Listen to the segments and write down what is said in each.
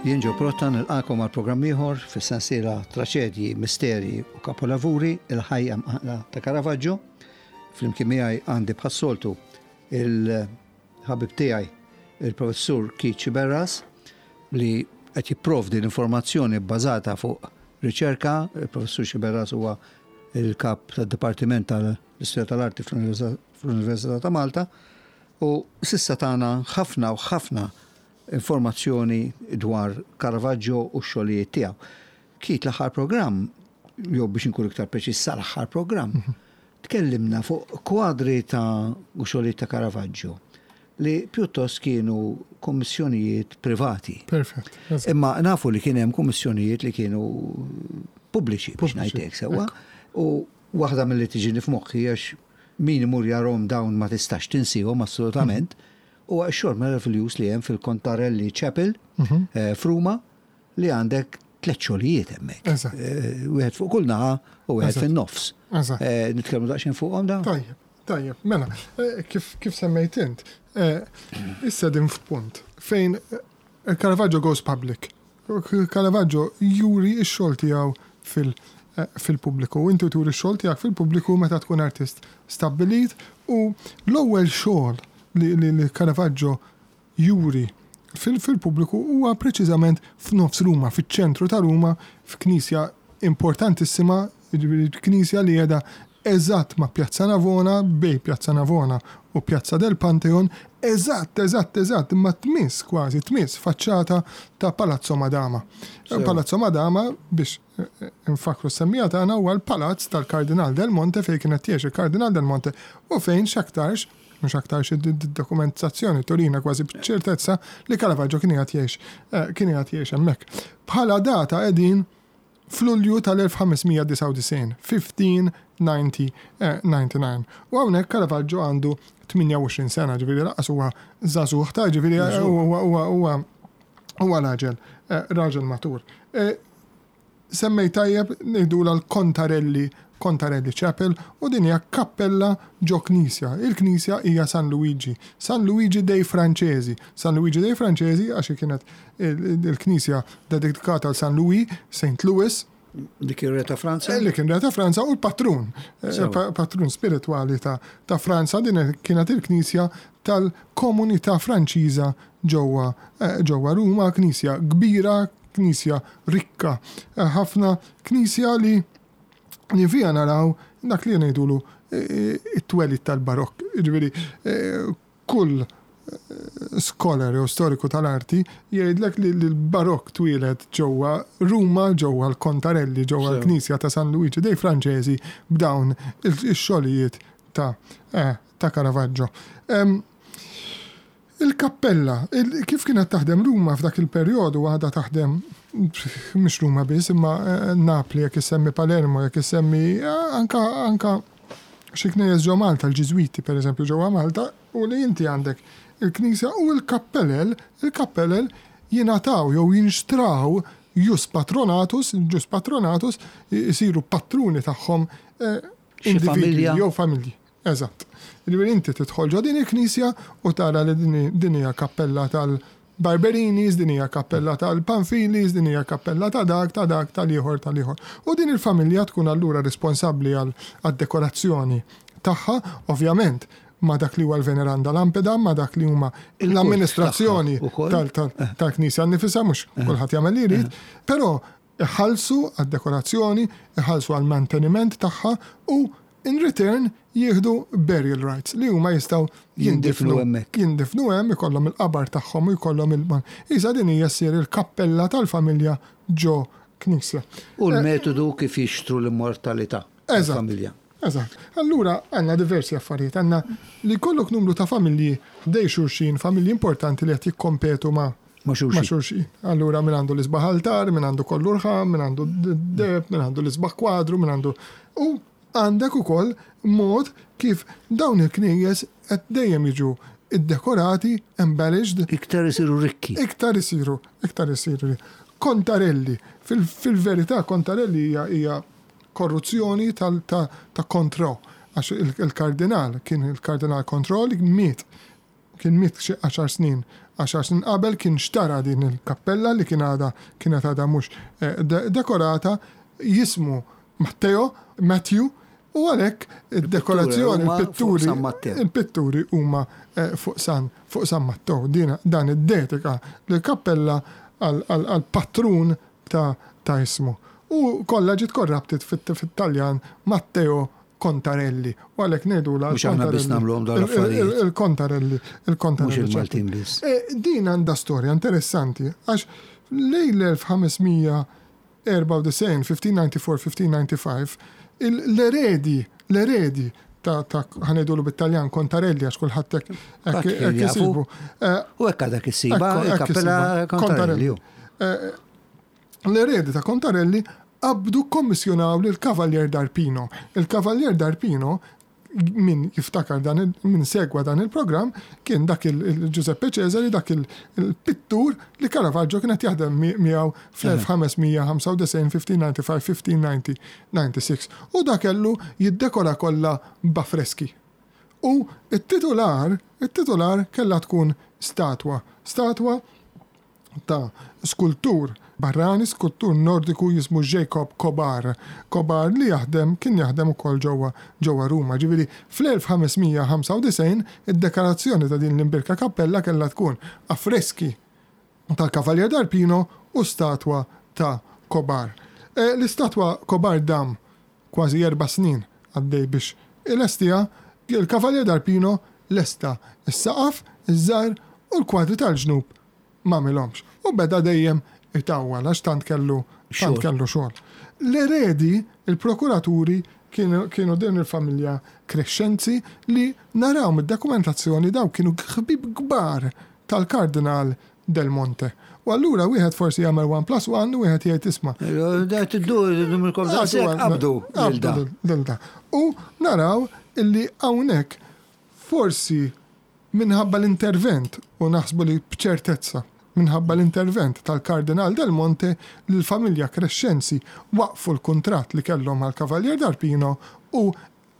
Jien Ġo Protta nilqakom għal programm ieħor fis-sensiela Traċedji, Misteri u Kapolavuri il-ħajja mqanqla ta' Caravaggio. Flimkien miegħi għandi bħas-soltu il-ħabib tiegħi il-Professur Keith Sciberras li qed jipprovdi l-informazzjoni bbażata fuq riċerka. Il-Professur Sciberras huwa il-kap tad-Dipartiment tal-Istorja tal-Arti fl-Università ta' Malta u s'issa tana ħafna u ħafna informazzjoni dwar Caravaggio u x-xogħlijiet tiegħu. Keith l-aħħar programm, jew biex inkun iktar preċiż sal-aħħar programm, tkellimna fuq kwadri ta' u xogħlijiet ta' Caravaggio li pjuttost kienu kummissjonijiet privati. Perfett. Imma nafu li kien hemm kummissjonijiet li kienu pubbliċi biex ngħidlek sewwa. U waħda milli tiġini f'moħħi għax min imur jarahom dawn ma tistax tinsihom assolutament, huwa x-xogħol meraviljuż li hemm fil-Contarelli Chapel f'Ruma li għandek tlett xogħlijiet hemmhekk. Wieħed fuq kull naħa u wieħed fin-nofs. Nitkellmu daqsxejn fuqhom dawn? Tajjeb, tajjeb. Mela, kif semmejt int, issa din f'punt fejn Caravaggio goes public. Caravaggio juri x-xogħol tiegħu fil-pubbliku. Inti turi x-xogħol tiegħek fil-pubbliku meta tkun artist stabbilit u l-ewwel xogħol li Caravaggio juri fil-pubbliku huwa preċiżament f'nofs Ruma, fiċ-ċentru ta' Ruma, f'knisja importantissima, jiġifieri knisja li qiegħda eżatt ma' Piazza Navona, bejn Piazza Navona u Piazza del Pantheon, eżatt, eżatt, eżatt, imma tmiss kważi, tmiss faċċata ta' Palazzo Madama. Palazzo Madama, biex infakkru s-semmija tagħna, huwa l-palazz tal-Kardinal del Monte fejn kien qed jgħix il-Kardinal del Monte u fejn x'aktarx, mhux aktarx id-dokumentazzjoni turina kważi b'ċertezza li Caravaggio kien qiegħed jgħix, kien qiegħed jgħix hemmhekk. Bħala data qegħdin f'Lulju tal-1599, 1599. U hawnhekk Caravaggio għandu 28 sena, ġifieri lanqas huwa żagħżugħ ta' ġifieri huwa huwa huwa raġel raġel matur. Semmejt tajjeb ngħidulha l-Contarelli Contarelli Chapel u din hija kappella ġo knisja. Il-knisja hija San Luigi, San Luigi dei Francesi. San Luigi dei Francesi għax kienet il-knisja dedikata għal San Louis, Saint Louis. Li kien re ta' Franza? Li kien re ta' Franza u l-patrun, patrun spiritwali ta' Franza din kienet il-knisja tal-komunità Franċiża ġewwa ġewwa Ruma, knisja kbira, knisja rikka ħafna, knisja li li fiha naraw dak li ngħidulu it-twelid tal-Barokk. Jiġifieri kull scholar jew storiku tal-arti jgħidlek li l-Barokk twieled ġewwa Ruma, ġewwa l-Contarelli, ġewwa l-Knisja ta' San Luigi dei Francesi b'dawn ix-xogħlijiet ta' ta' Caravaggio. Il-kappella, kif kienet taħdem Ruma f'dak il-perjodu għadha taħdem mhux Ruma biss imma Napli jekk issemmi Palermo, jekk issemmi anka anka xi knejjes ġo Malta, l-Ġiżwiti pereżempju ġewwa Malta, u li inti għandek il-knisja u l-kappelel, il-kappelel jingħataw jew jinxtraw jus patronatus, jus patronatus, isiru patruni tagħhom individwi jew familji. Eżatt. Jiġifieri inti tidħol ġo din il-knisja u tara li din hija kappella tal-Barberinis, din hija kappella tal-Panfilis, din hija kappella ta' dak, ta' dak, tal-ieħor, tal-ieħor. U din il-familja tkun allura responsabbli għad-dekorazzjoni tagħha, ovvjament ma' dak li huwa l-Veneranda Lampeda, ma' dak li huma l-amministrazzjoni tal-knisja nnifisha, mhux kulħadd jagħmel li jrid, però iħallsu għad-dekorazzjoni, iħallsu għall-manteniment tagħha u in return jieħdu burial rights li huma jistgħu jindifnu hemmhekk. Jindifnu hemm, ikollhom il-qabar tagħhom u jkollhom il Isa din hija ssir il-kappella tal-familja ġo knisja. U l-metodu kif jixtru l-immortalità tal-familja. Eżatt. Allura għandna diversi affarijiet. Għandna li jkollok numru ta' familji ħdej xulxin, familji importanti li qed jikkompetu ma' Ma' xulxin. Ma' xulxin. Allura min għandu l-isbaħ altar, min għandu kollu rħam, min għandu deheb, min għandu l-isbaħ kwadru, min għandu. U għandek ukoll mod kif dawn il-knejjes qed dejjem jiġu iddekorati, embellished. Iktar isiru rikki. Iktar isiru, iktar isiru. Contarelli. Fil-verità Contarelli hija hija korruzzjoni tal ta' ta' Contrò għax il-kardinal kien il-kardinal Contrò li miet Kien miet xi għaxar snin Għaxar snin qabel kien xtara din il-kappella li kien għadha kienet għadha mhux dekorata, jismu Matteo, Matthew, u għalhekk id-dekorazzjoni, il-pitturi, il-pitturi huma fuq San fuq San Mattew. Din dan iddedika lill-kappella għall-patrun ta' ta' ismu. U kollha ġiet corrupted fit-Taljan Matteo Contarelli. U għalhekk ngħidulha Mhux aħna biss nagħmluhom dawn l-affarijiet. Il-Contarelli, il-Contarelli. Mhux il-Maltin biss. Din għandha storja interessanti għax lejn l-1594, 1594, 1595, l-eredi, l-eredi ta' ħa ngħidulu bit-Taljan Contarelli għax kulħadd hekk isibu. U hekk għadha issibha il-Kappella Contarelli. L-eredi ta' Contarelli qabdu kkommissjonaw lil Cavalier d'Arpino. Il-Cavalier d'Arpino, min jiftakar dan, min segwa dan il-programm, kien dak il-Giuseppe Cesari, dak il-pittur li Caravaggio kien qed jaħdem miegħu fl-1595, 1595, 1596. U dak kellu jiddekora kollha b'affreski. U t-titular, it-titular kellha tkun statwa. Statwa ta' skultur barrani, skultur Nordiku jismu Jacob Kobar. Kobar li jaħdem, kien jaħdem ukoll ġewwa ġewwa Ruma. Ġifieri fl-1595 id-dekorazzjoni ta' din l-imbierka kappella kellha tkun affreski tal-Cavalier d'Arpino u statwa ta' Kobar. L-istatwa Kobar dam kważi 4 snin għaddej biex ilestiha, il-Cavalier d'Arpino lesta s-saqaf, iż-żgħir u l-kwadri tal-ġnub m'għamilhomx. U beda dejjem itawwal għax tant kellu tant kellu xogħol. L-eredi, il-prokuraturi kienu din il-familja Crescenzi li naraw mid-dokumentazzjoni daw kienu ħbieb kbar tal-Kardinal Del Monte. U allura wieħed forsi jagħmel 1 plus 1 u wieħed jgħid isma'. Qabdu. Qabdu U naraw illi hawnhekk forsi minħabba l-intervent, u naħsbu li b'ċertezza, minħabba l-intervent tal-Kardinal Del Monte li l-familja Crescenzi waqfu l-kuntratt li kellhom mal-Cavalier d'Arpino u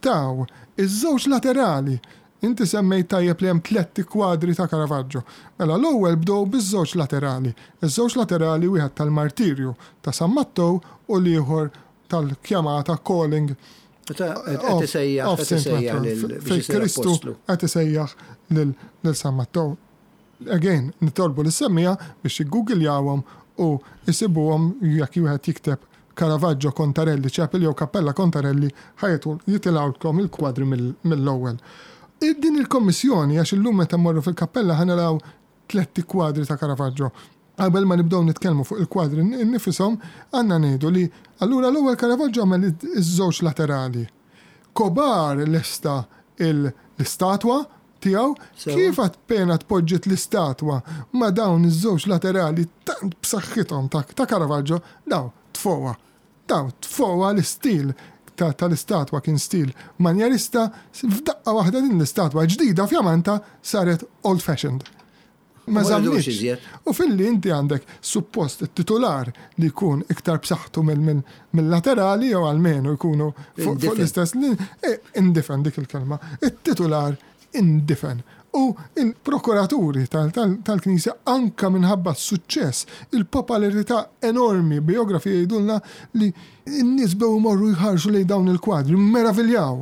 taw iż-żewġ laterali. Inti semmejt tajjeb li hemm tlett kwadri ta' Caravaggio. Mela l-ewwel bdew biż-żewġ laterali. Iż-żewġ laterali wieħed tal-martirju ta' San Mattew u l-ieħor tal-kjamata calling of Saint Matthew. Fejn Kristu qed isejjaħ lil San Mattew. Again, nitolbu lis-semmiegħa biex jiggugiljawhom u jsibuhom jekk wieħed jikteb Caravaggio Contarelli Chapel jew Cappella Contarelli ħa jitilgħulkom il-kwadri mill-ewwel. Din il-kommissjoni, għax illum meta mmorru fil-kappella ħa naraw tletti kwadri ta' Caravaggio. Qabel ma nibdew nitkellmu fuq il-kwadri nnifisom, għandna ngħidu li allura l-ewwel Caravaggio għamel iż-żewġ laterali. Kobar lesta l-istatwa tiegħu, kif appena tpoġġiet l-istatwa ma' dawn iż-żewġ laterali tant b'saħħithom ta' Caravaggio, daw tfowa. Daw tfowa l-istil tal-istatwa kien stil manjerista, f'daqqa waħda din l-istatwa ġdida fjamanta saret old fashioned. Ma żammitx. U filli inti għandek suppost it-titular li jkun iktar b'saħħtu mill-laterali jew almenu jkunu fuq l-istess indifen dik il-kelma. It-titular indifen. U il-prokuraturi tal-Knisja anka minħabba s-suċċess, il-popolarità enormi, biografi jgħidulna li n-nies bew imorru jħarsu lejn dawn il-kwadri, meraviljaw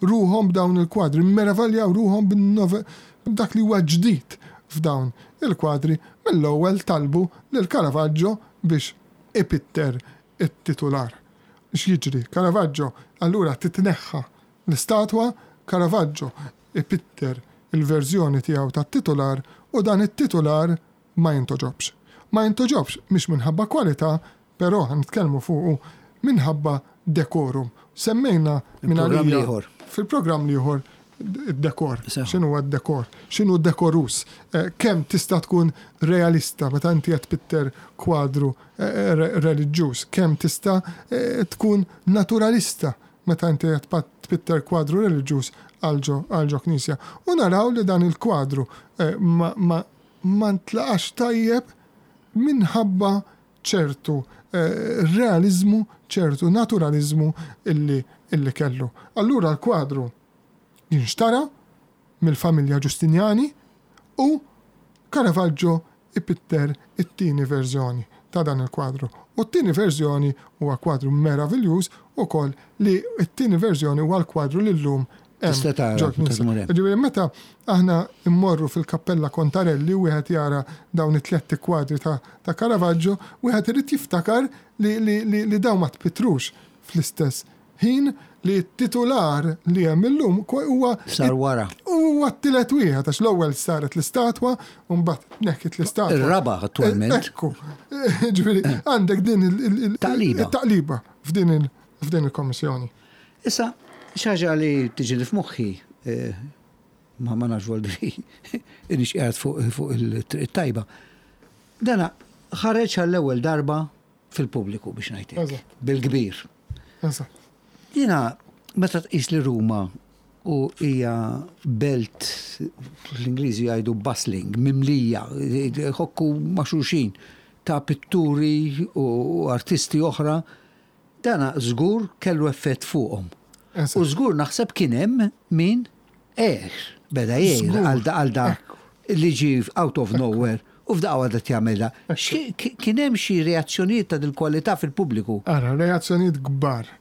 ruħhom b'dawn il-kwadri, meraviljaw ruħhom b'dak li huwa ġdid f'dawn il-kwadri, mill-ewwel talbu lil Caravaggio biex ipitter it-titular. X'jiġri? Caravaggio allura titneħħa l-istatwa, Caravaggio ipitter il-verżjoni tiegħu tat-titular u dan it-titular ma jintoġobx. Ma jintoġobx mhix minħabba kwalità, però ħa nitkellmu fuqu minħabba decorum. Semmejna minn għalija fil-programm l-ieħor id-dekor. X'inhu d-dekor? X'inhu dekorus? Kemm tista' tkun realista meta inti qed tpitter kwadru reliġjuż? Kemm tista' tkun naturalista meta inti qed tpitter kwadru reliġjuż għal ġo knisja? U naraw li dan il-kwadru ma ntlaqax tajjeb minħabba ċertu realizmu, ċertu naturalizmu illi kellu. Allura l-kwadru jinxtara mill-familja Giustiniani u Caravaggio ipitter it-tieni verżjoni ta' dan il-kwadru. U t-tieni verżjoni huwa kwadru meraviljuż ukoll li t-tieni verżjoni huwa l-kwadru li llum hemm Tista' tara ġol-knisja. meta tmur hemm. Jiġifieri meta aħna mmorru fil-Kappella Contarelli u wieħed jara dawn it-tlett kwadri ta' ta' Caravaggio, wieħed irid jiftakar li li li li dawn ma tpittrux fl-istess ħin li t-titular li hemm illum huwa Sar wara. Huwa t-tielet wieħed għax l-ewwel saret l-istatwa u mbagħad tneħħiet l-istatwa. Ir-raba' attwalment. Ekku. Ġifieri għandek din il-taqliba taqliba f'din il-kommissjoni. Issa, xi ħaġa li tiġini f'moħħi eh, ma ma nafx voldri inix qiegħed fuq il-triq tajba. Dana ħareġ għall-ewwel darba fil-pubbliku biex ngħid hekk. Bil-kbir. Jiena meta tqis li Ruma u hija belt l-Ingliżi jgħidu bustling, mimlija, ħokku ma' xulxin ta' pitturi u artisti oħra, dana żgur kellu effett fuqhom. U żgur naħseb kien hemm min għer, beda jgħir għal da li ġie out of nowhere u f'daqqa waħda qed jagħmilha. Kien hemm xi reazzjonijiet ta' dil-kwalità fil-pubbliku? Ara, reazzjonijiet kbar.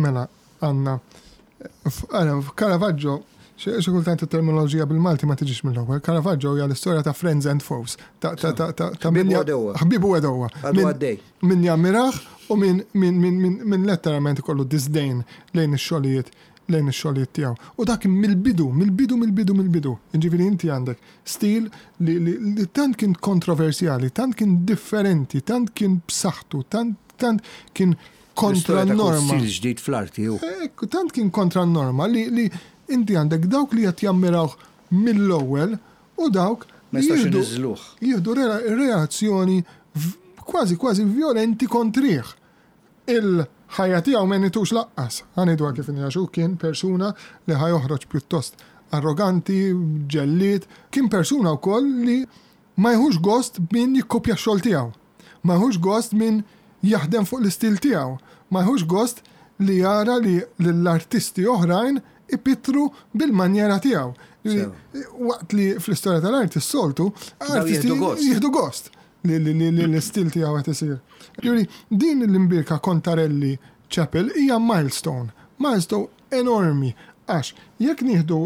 Mela, għandna, ara, Caravaggio, xi kultant it-terminoloġija bil-Malti ma tiġix mill-ewwel. Caravaggio hija l-istorja ta' friends and foes. Ta' ta' ta' ta' ta' min Ħbieb u għedewwa. Għadu għaddej. Min jammirah u min min min min letteralment ikollu disdain lejn ix-xogħlijiet lejn ix-xogħlijiet tiegħu. U dak mill-bidu, mill-bidu, mill-bidu, mill-bidu. Jiġifieri inti għandek stil li, li, li tant kien kontroversjali, tant kien differenti, tant kien b'saħħtu, tant, tant kien kontra n-norma. Stil ġdid fl-arti hu. Ekku, tant kien kontra n-norma li, li inti għandek dawk li qed jammirawh mill-ewwel u dawk li jieħdu jieħdu reazzjoni kważi kważi vjolenti kontrih. Il-ħajja tiegħu m'għenitux laqqas, ħa ngħiduha kif inhi għax hu kien persuna li ħa joħroġ pjuttost arroganti, ġellied, kien persuna wkoll li ma jieħux gost b'min jikkopja x-xogħol tiegħu, ma jieħux gost min jaħdem fuq l-istil tiegħu, ma jieħux gost li jara li lill-artisti oħrajn ipittru bil-manjera tiegħu. Waqt li fl-istorja tal-arti s-soltu, artisti jieħdu gost. li l-istil tiegħu qed isir. Ġifieri din l-imbierka Contarelli Chapel hija milestone, milestone enormi għax jekk nieħdu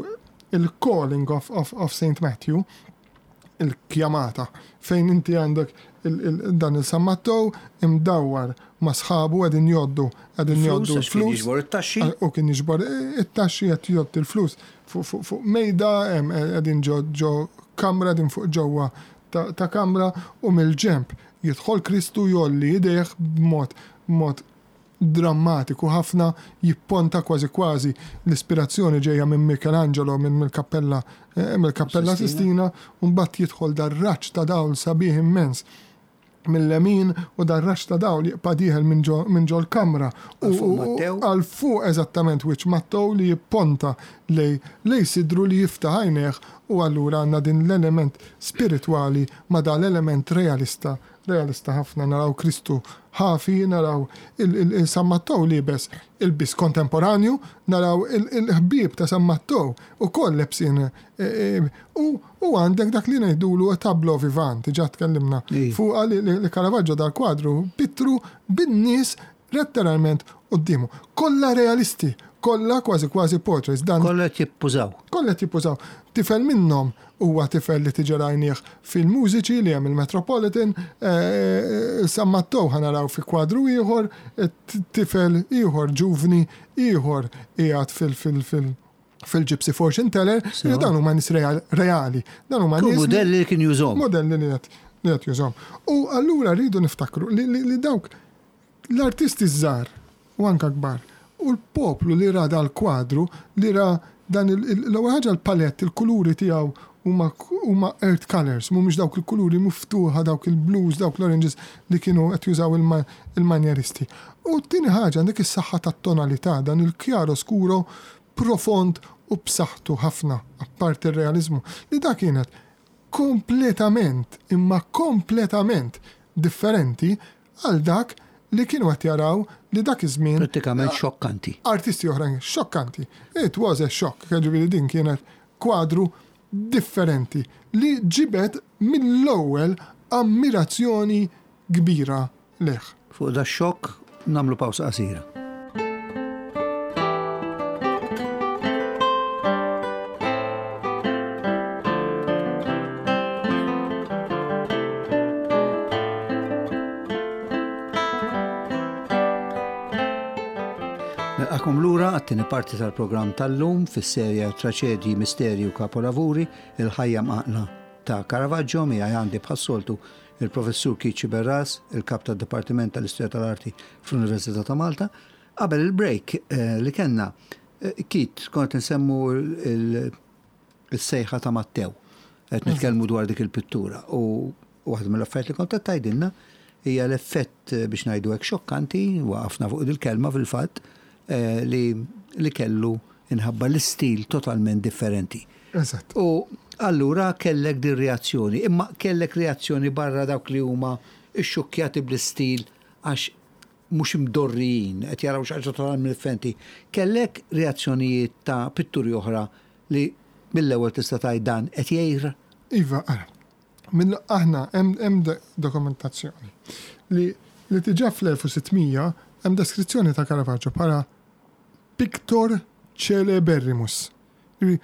il-calling of, of, of St. Matthew, il-kjamata, fejn inti għandek dan il-San Mattew imdawwar ma' sħabu qegħdin jgħoddu qegħdin jgħoddu l-flus. Jiġbor it-taxxi. U kien jiġbor it-taxxi qed jgħodd il-flus fuq mejda qegħdin ġo kamra qegħdin fuq ġewwa ta' kamra u mill-ġenb jidħol Kristu jgħolli idejh b'mod b'mod drammatiku ħafna jipponta kważi kważi l-ispirazzjoni ġejja minn Michelangelo minn mill-kappella mill-kappella Sistina u mbagħad jidħol dar-raġġ ta' dawl sabiħ immens mil-lemin u dar-raġġ ta' dawl jibqa' dieħel minn ġo minn ġol-kamra u għal fuq eżattament wiċċ Mattew li jipponta lej lej sidru li jiftaħ għajnejh u allura għandna din l-element spiritwali ma' dan l-element realista realista ħafna naraw Kristu ħafi naraw il il San Mattew liebes ilbies kontemporanju naraw il il-ħbieb ta' San Mattew ukoll lebsin u U għandek dak li ngħidulu tableau vivant, diġà tkellimna fuqha li Caravaggio dal-kwadru pittru bin-nies letteralment quddiemu. Kollha realisti, kollha kważi kważi portraits. Dan Kollha qed jippużaw. Kollha qed jippużaw. Tifel minnhom huwa tifel li tiġi rajnieh fil-mużiċi li hemm il-Metropolitan, San Mattew ħa naraw fi kwadru ieħor, tifel ieħor ġuvni ieħor qiegħed fil fil fil-Gypsy Fortune Teller, li dan huma nies reali. Dan huma nies. Modelli li kien jużhom. Modelli li qed li qed jużhom. U allura rridu niftakru li, li, li dawk l-artisti żgħar u anka kbar u l-poplu li ra dal-kwadru li ra dan l-ewwel ħaġa l-palett, il-kuluri tiegħu huma huma earth colors, mhumiex dawk il-kuluri miftuħa, dawk il-blues, dawk l-oranges li kienu qed jużaw il-manjeristi. U t-tieni ħaġa għandek is-saħħa tat-tonalità, dan il-chiaro scuro profond u b'saħħtu ħafna, apparti r-realiżmu, li da kienet kompletament, imma kompletament differenti għal dak li kienu qed jaraw li dak iż-żmien. Prattikament xokkanti. Artisti oħrajn, xokkanti. It was a shock, jiġifieri din kienet kwadru differenti li ġibed mill-ewwel ammirazzjoni kbira lejh. Fuq dax-xokk nagħmlu pawsa qasira. Nilqakom lura għat-tieni parti tal-programm tal-lum fis-serje Traċedji, Misterji u Kapolavuri, il-ħajja mqanqla ta' Caravaggio, miegħi għandi bħas-soltu il-Professur Keith Sciberras, il-Kap tad-Dipartiment tal-Istorja tal-Arti fl-Università ta' Malta. Qabel il-break li kellna, Keith, konna qed insemmu il-sejħa ta' Mattew. Qed nitkellmu dwar dik il-pittura u waħda mill-affarijiet li kont qed tgħidilna hija l-effett biex ngħidu hekk xokkanti, waqafna fuq dil-kelma fil-fatt, li li kellu inħabba l-istil totalment differenti. Eżatt. U allura kellek din reazzjoni, imma kellek reazzjoni barra dawk li huma xxukkjati bl-istil għax mhux imdorrijin, qed jaraw xi ħaġa totalment differenti. Kellek reazzjonijiet ta' pitturi oħra li mill-ewwel tista' tgħid dan qed jgħir? Iva, ara. Mill aħna hemm hemm dokumentazzjoni li li diġà fl-1600 hemm deskrizzjoni ta' Caravaggio bħala pictor celeberrimus. Jiġifieri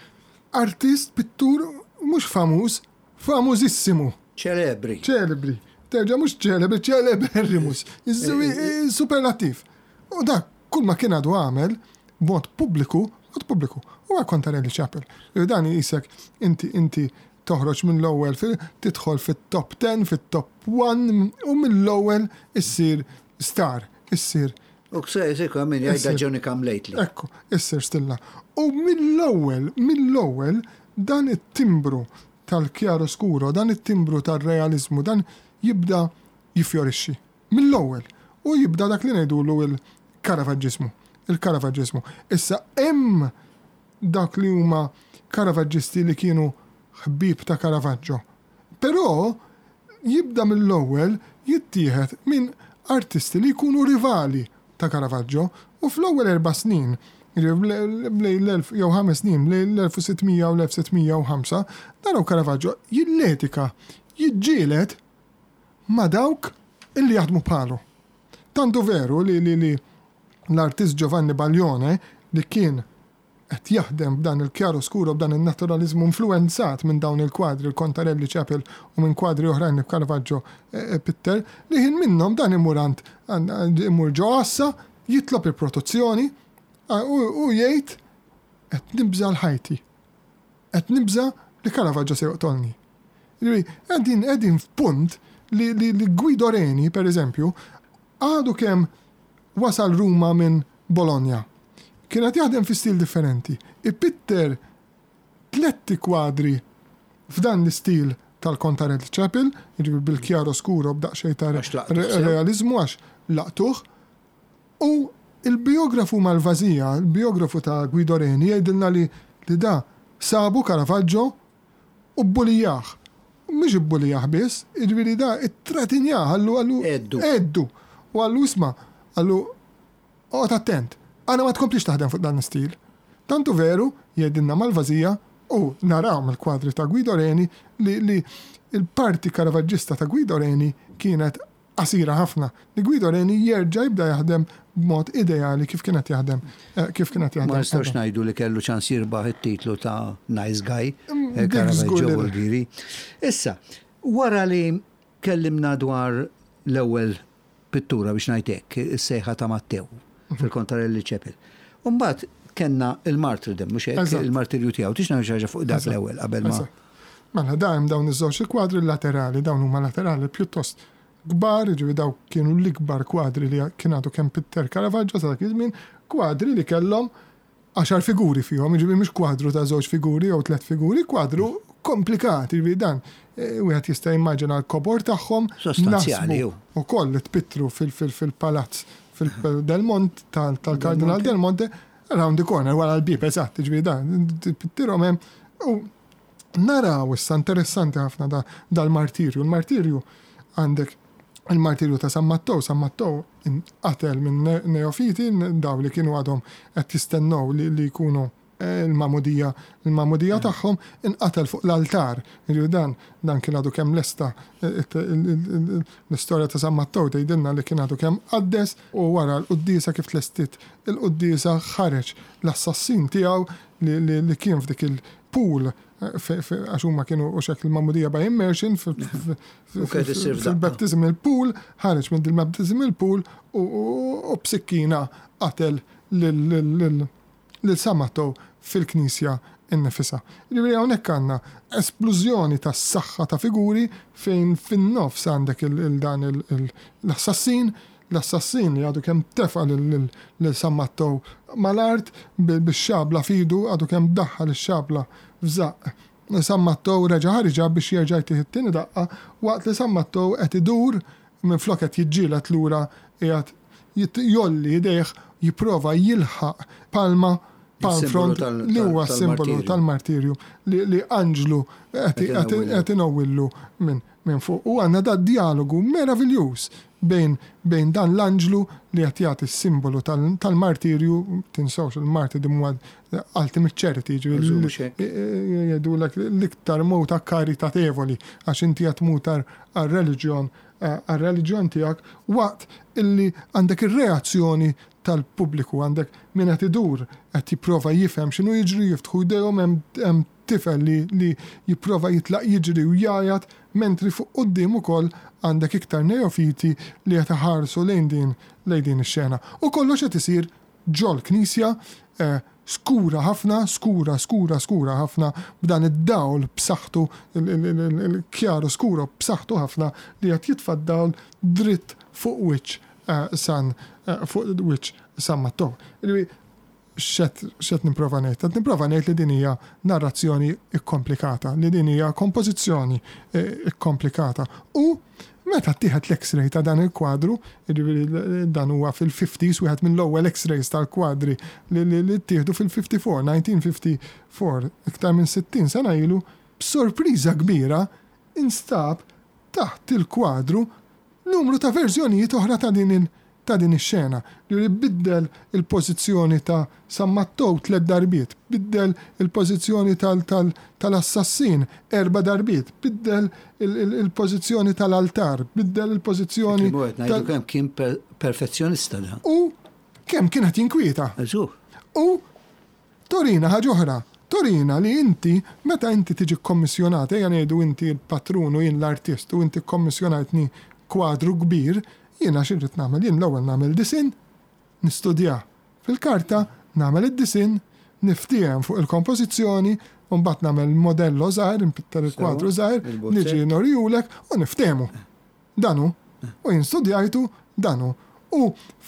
artist, pittur mhux famuż, famużissimu. Ċelebri. Ċelebri. Terġa' mhux ċelebri, ċeleberrimus. Superlattiv. U dak kull ma kien għadu għamel b'mod pubbliku, mod pubbliku, huwa Contarelli Chapel. Dan jisek inti inti toħroġ mill-ewwel tidħol fit-top 10, fit-top 1 u mill-ewwel issir star, issir U kse min jgħidha Johnny Come Lately. Ekku, issir stilla. U mill-ewwel, mill-ewwel dan it-timbru tal-chiaroscuro, dan it-timbru tar-realiżmu, dan jibda jiffjorixxi. Mill-ewwel. U jibda dak li ngħidulu il-Caravaġġiżmu. Il-Caravaġġiżmu. Issa hemm dawk li huma Caravaġġisti li kienu ħbieb ta' Caravaggio. Però jibda mill-ewwel jittieħed minn artisti li jkunu rivali ta' Caravaggio u fl-ewwel erba' snin, jiġifieri bejn l-elf jew ħames snin bejn l-1600 u l-1605, naraw Caravaggio jilletika, jiġġieled ma' dawk illi jaħdmu bħalu. Tant hu veru li li li l-artist Giovanni Baglione li kien qed jaħdem b'dan il-chiaroscuro, b'dan in-naturaliżmu influwenzat minn dawn il-kwadri, il-Contarelli Chapel u minn kwadri oħrajn li Caravaggio pitter, li ħin minnhom dan imur għand imur ġo għassa jitlob il-protezzjoni u jgħid qed nibża' għal ħajti. Qed nibża' li Caravaggio se joqtolni. Jiġifieri qegħdin qegħdin f'punt li li Guido Reni, per eżempju, għadu kemm wasal Ruma minn Bologna. Kien qed jaħdem fi stil differenti. Ipitter tletti kwadri f'dan l-istil tal-Contarelli Chapel, jiġifieri bil-chiaroscuro b'daqsxejn ta' realiżmu għax laqtuh. U l-bijografu Malvasia, il-bijografu ta' Guido Reni jgħidilna li li da sabu Caravaggio u bbulijah. U mhux ibbulijah biss, jiġifieri da ittratinjah, qallu qallu Għeddu. Għeddu. U qallu isma', qallu oqgħod attent, għana ma tkomplix taħdem fuq dan l-istil. Tant hu veru, jgħidilna Malvasia, u naraw mill-kwadri ta' Guido Reni li li l-parti Caravaggista ta' Guido Reni kienet qasira ħafna, li Guido Reni jerġa' jibda jaħdem b'mod ideali kif kien qed jaħdem kif kien qed jaħdem. Ma nistgħux ngħidu li kellu ċans jirbaħ it-titlu ta' Nice Guy, Caravaggio Volgiri. Issa, wara li kellimna dwar l-ewwel pittura biex ngħid hekk, is-sejħa ta' Mattew fil-Contarelli Chapel. U mbagħad kellna il-martyrdom, mhux hekk, il-martirju tiegħu. Tix ngħidu xi ħaġa fuq dak l-ewwel qabel ma. Mela da hemm dawn iż-żewġ kwadri laterali, dawn huma laterali pjuttost kbar, jiġifieri dawk kienu l-ikbar kwadri li kien għadu kemm pitter Caravaggio sa dak iż-żmien, kwadri li kellhom għaxar figuri fihom, jiġifieri mhux kwadru ta' żewġ figuri jew tliet figuri, kwadru komplikat, jiġifieri dan eh, wieħed jista' jimmaġina l-kobor tagħhom. Sostanzjali. Ukoll li tpittru fil-palazz fil-Del Monte tal-Kardinal Del Monte round the corner wara l-bieb eżatt, jiġifieri dan tpittirhom hemm u Naraw issa interessanti ħafna da dal-martirju. Il-martirju għandek il-martirju ta' San Mattew, San Mattew inqatel minn neofiti, daw li kienu għadhom qed jistennew li, li jkunu il-magħmudija il-magħmudija tagħhom inqatel fuq l-altar. Jiġifieri dan dan kien għadu kemm lesta l-istorja ta' San Mattew tgħidilna li kien għadu kemm qaddes u wara l-quddiesa kif tlestiet il-quddiesa ħareġ l-assassin tiegħu li kien f'dik il-pool għax huma kienu u xek il-magħmudija by immersion fil-baptismal pool ħareġ minn dil-baptismal pool u b'sikkina qatel lil lil San Mattew fil-knisja nnifisha. Jiġifieri hawnhekk għandna esplużjoni ta' saħħa ta' figuri fejn fin-nofs għandek il dan l-assassin, l-assassin li għadu kemm tefa' lil San Mattew mal-art bix-xabla f'idu, għadu kemm daħħal ix-xabla f'żaqq San Mattew reġa' ħariġha biex jerġa' jtih it-tieni daqqa waqt li San Mattew qed idur minflok qed jiġġieled lura qiegħed jgħolli idejh jipprova jilħaq palma, palm frond, li huwa s-simbolu tal-martirju li anġlu qed inowwillu minn fuq. U għandna dad-djalogu meraviljuż bejn bejn dan l-anġlu li qed jagħti s-simbolu tal-martirju, tinsewx il-martyrdom huwa ultimate charity, jiġifieri jgħidulek l-iktar mowta karitatevoli għax inti qed tmut għar-reliġjon għar-reliġjon tiegħek waqt illi għandek ir-reazzjoni tal-pubbliku, għandek min qed idur qed jipprova jifhem x'inhu jiġri, jiftħu jdejhom hemm tifel li li jipprova jitlaq jiġri u jgħajjat mentri fuq quddiem ukoll għandek iktar neofiti li qed iħarsu lejn din lejn din ix-xena. U kollox qed isir ġol-knisja skura ħafna, skura, skura, skura ħafna b'dan id-dawl b'saħħtu, il-chiaro scuro b'saħħtu ħafna li qed jitfa' d-dawl dritt fuq wiċċ San fuq wiċċ San Mattew. Jiġifieri x'qed nipprova ngħid? Qed nipprova ngħid li din hija narrazzjoni kkomplikata, li din hija kompożizzjoni kkomplikata. U meta ttieħed l-X-ray ta' dan il-kwadru, jiġifieri dan huwa fil-fifties, wieħed mill-ewwel X-rays tal-kwadri li ttieħdu fil-54, 1954, iktar minn 60 sena ilu, b'sorpriża kbira instab taħt il-kwadru numru ta' verżjonijiet oħra ta' din ta' din ix-xena. Ġifieri biddel il-pożizzjoni ta' San Mattew tlett darbiet, biddel il-pożizzjoni tal-assassin erba' darbiet, biddel il-pożizzjoni tal-altar, biddel il-pożizzjoni. Kien qed ngħidu kemm kien perfezzjonista dan. U kemm kien qed jinkwieta. U Turina ħaġa oħra. Turina li inti, meta inti tiġi kkommissjonat, ejja ngħidu inti l-patrun u jien l-artist u inti kkommissjonajtni kwadru kbir, jiena xi rrid nagħmel? Jien l-ewwel nagħmel disinn, nistudjah fil-karta, nagħmel id-disinn, niftiehem fuq il-kompożizzjoni, u mbagħad nagħmel modello żgħir, inpitter il-kwadru żgħir, niġi nurihulek u niftehmu. Dan hu. U jien studjajtu, dan hu. U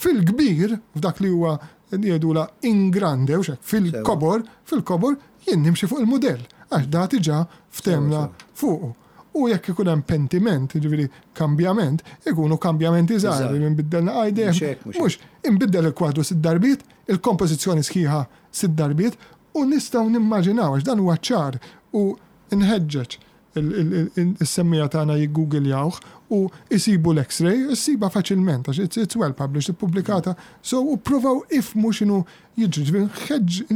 fil-kbir, f'dak li huwa jgħidulha in grande, hux hekk, fil-kobor, fil-kobor, jien nimxi fuq il-mudell, għax da diġà ftehmna fuqu. U jekk ikun hemm pentiment, jiġifieri kambjament, ikunu kambjamenti żgħar, li nbiddel naqgħa jdejh, mhux inbiddel il-kwadru sitt darbiet, il-kompożizzjoni sħiħa sitt darbiet, u nistgħu nimmaġinaw, għax dan huwa ċar u nħeġġeġ is-semmiegħa tagħna jiggugiljawh u jsibu l-X-ray, issibha faċilment għax it's, it's well published, ippubblikata, so u ppruvaw ifhmu x'inhu jiġri, ġifieri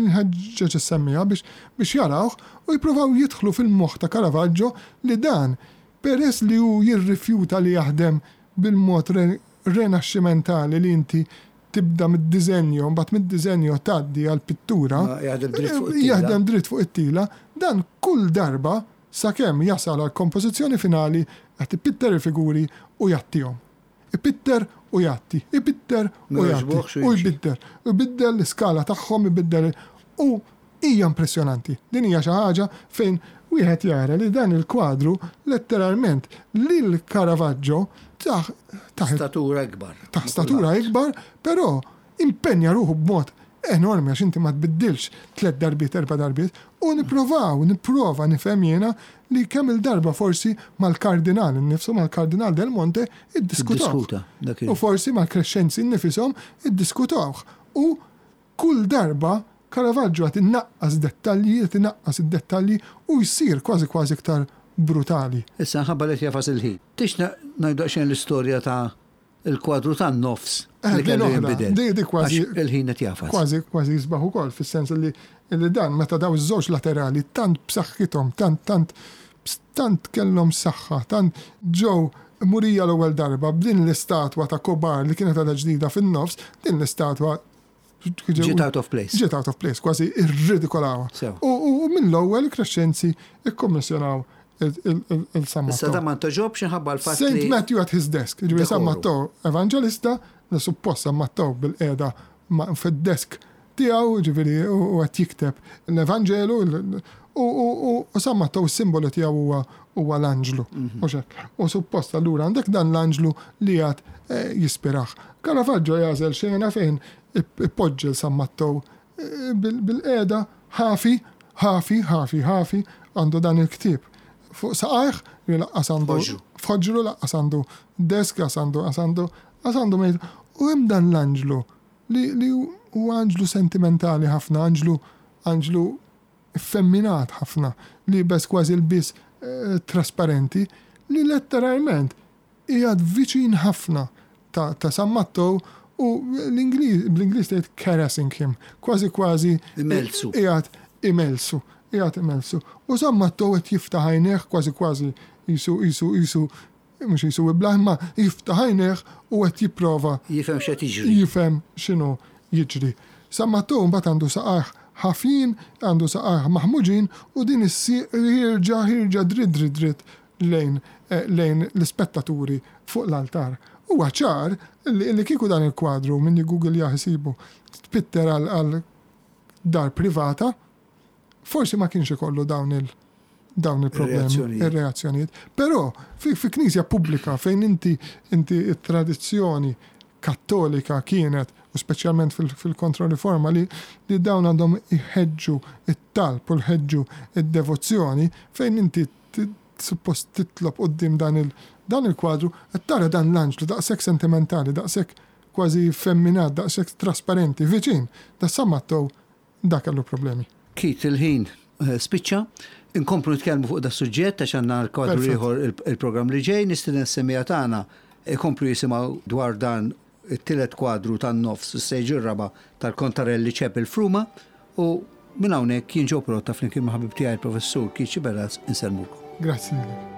nħeġġeġ is-semmiegħa biex biex jarawh u jippruvaw jidħlu fil-moħħ ta' Caravaggio li dan peress li hu jirrifjuta li jaħdem bil-mod renaxximentali li inti tibda mid-diżenjo, mbagħad mid-diżenjo tgħaddi għall-pittura, jaħdem dritt fuq it-tila, dan kull darba sakemm jasal għall-kompożizzjoni finali qed ipitter il-figuri u jgħattihom. Ipitter u jgħatti, ipitter u jgħatti, u jbiddel. Ibiddel l-iskala tagħhom, ibiddel u hija impressjonanti. Din hija xi ħaġa fejn wieħed jara li dan il-kwadru letteralment lil Caravaggio tah tah Statura ikbar. Tah statura ikbar, però impenja ruħu b'mod enormi għax inti ma tbiddilx tlett darbiet, erba' darbiet, u nipprovaw, nipprova nifhem jiena li kemm-il darba forsi mal-Kardinal innifsu, mal-Kardinal Del Monte iddiskutawh. U forsi mal-Crescenzi nnifishom iddiskutawh. U Kull darba, Caravaggio qed inaqqas dettalji, qed inaqqas id-dettalji u jsir kważi kważi iktar brutali. Issa nħabba li qed jagħfas il-ħin. Tix ngħidu daqsxejn l-istorja ta' il-kwadru tan-nofs li kellu jinbidel. Di di kważi il-ħin qed jagħfas. Kważi kważi jisbaħ ukoll fis-sens li li dan meta daw iż-żewġ laterali tant b'saħħithom, tant tant tant kellhom saħħa, tant ġew murija l-ewwel darba b'din l-istatwa ta' Kobar li kienet għadha ġdida fin-nofs, din l-istatwa Ġiet out of place. Ġiet out of place, kważi irridikolawha. U mill-ewwel Crescenzi ikkommissjonaw il-San Matteo. Issa da ma ntoġobx inħabba l-fatt li. Saint Matthew at his desk, ġifieri San Matteo evanġelista, li suppost San Matteo bil-qiegħda fid-desk tiegħu, ġifieri u qed jikteb l-Evanġelu, u San Matteo s-simbolu tiegħu huwa huwa l-anġlu. Mhux hekk. U suppost allura għandek dan l-anġlu li għad eh, jispirah. Caravaggio jagħżel xena fejn ipoġġi l San Matteo eh, bil-qiegħda ħafi, ħafi, ħafi, ħafi għandu dan il-ktieb fuq saqajh li laqqas għandu f'ħoġru laqqas għandu desk, laqqas għandu għandu laqqas għandu mejt. U hemm dan l-anġlu li li huwa anġlu sentimentali ħafna, anġlu anġlu effemminat ħafna, liebes kważi lbies trasparenti, li letteralment qiegħed viċin ħafna ta' ta' San Mattew u l-Ingliż bl-Ingliż tgħid caressing him, kważi kważi Imellsu. qiegħed imellsu, qiegħed imellsu. U San Mattew qed jiftaħ għajnejh kważi kważi qisu qisu qisu mhux qisu iblah imma jiftaħ għajnejh u qed jipprova Jifhem x'qed jiġri. Jifhem x'inhu jiġri. San Mattew mbagħad għandu saqajh ħafjin, għandu saqajh maħmuġin u din is-sieq ħierġa ħierġa dritt dritt dritt lejn lejn l-ispettaturi fuq l-altar. Huwa ċar li li kieku dan il-kwadru, min jiggoogliah isibu, tpitter għal għal dar privata, forsi ma kienx ikollu dawn il dawn il-problemi, ir-reazzjonijiet. Però fi, fi knisja pubblika fejn inti inti t-tradizzjoni kattolika kienet, u speċjalment fil-kontroriforma li, li dawn għandhom iħeġġu it-talb u l-ħeġġu id-devozzjoni fejn inti suppost titlob quddiem dan il dan il-kwadru qed tara dan l-anġlu daqshekk sentimentali, daqshekk kważi femminat, daqshekk trasparenti, viċin ta' San Mattew Dak kellu problemi. Keith, il-ħin spiċċa. Inkomplu nitkellmu fuq das-suġġett għax għandna l-kwadru ieħor il-programm li ġej. Nistieden s-semmiegħa tagħna jkomplu jisimgħu dwar dan it-tielet kwadru tan-nofs is-sejġ ir-raba' tal-Contarelli Chapel f'Ruma u minn hawnhekk jien Joe Pirotta flimkien ma' ħabib tiegħi l-Professur Keith Sciberras insellmukom. Grazzi lilek.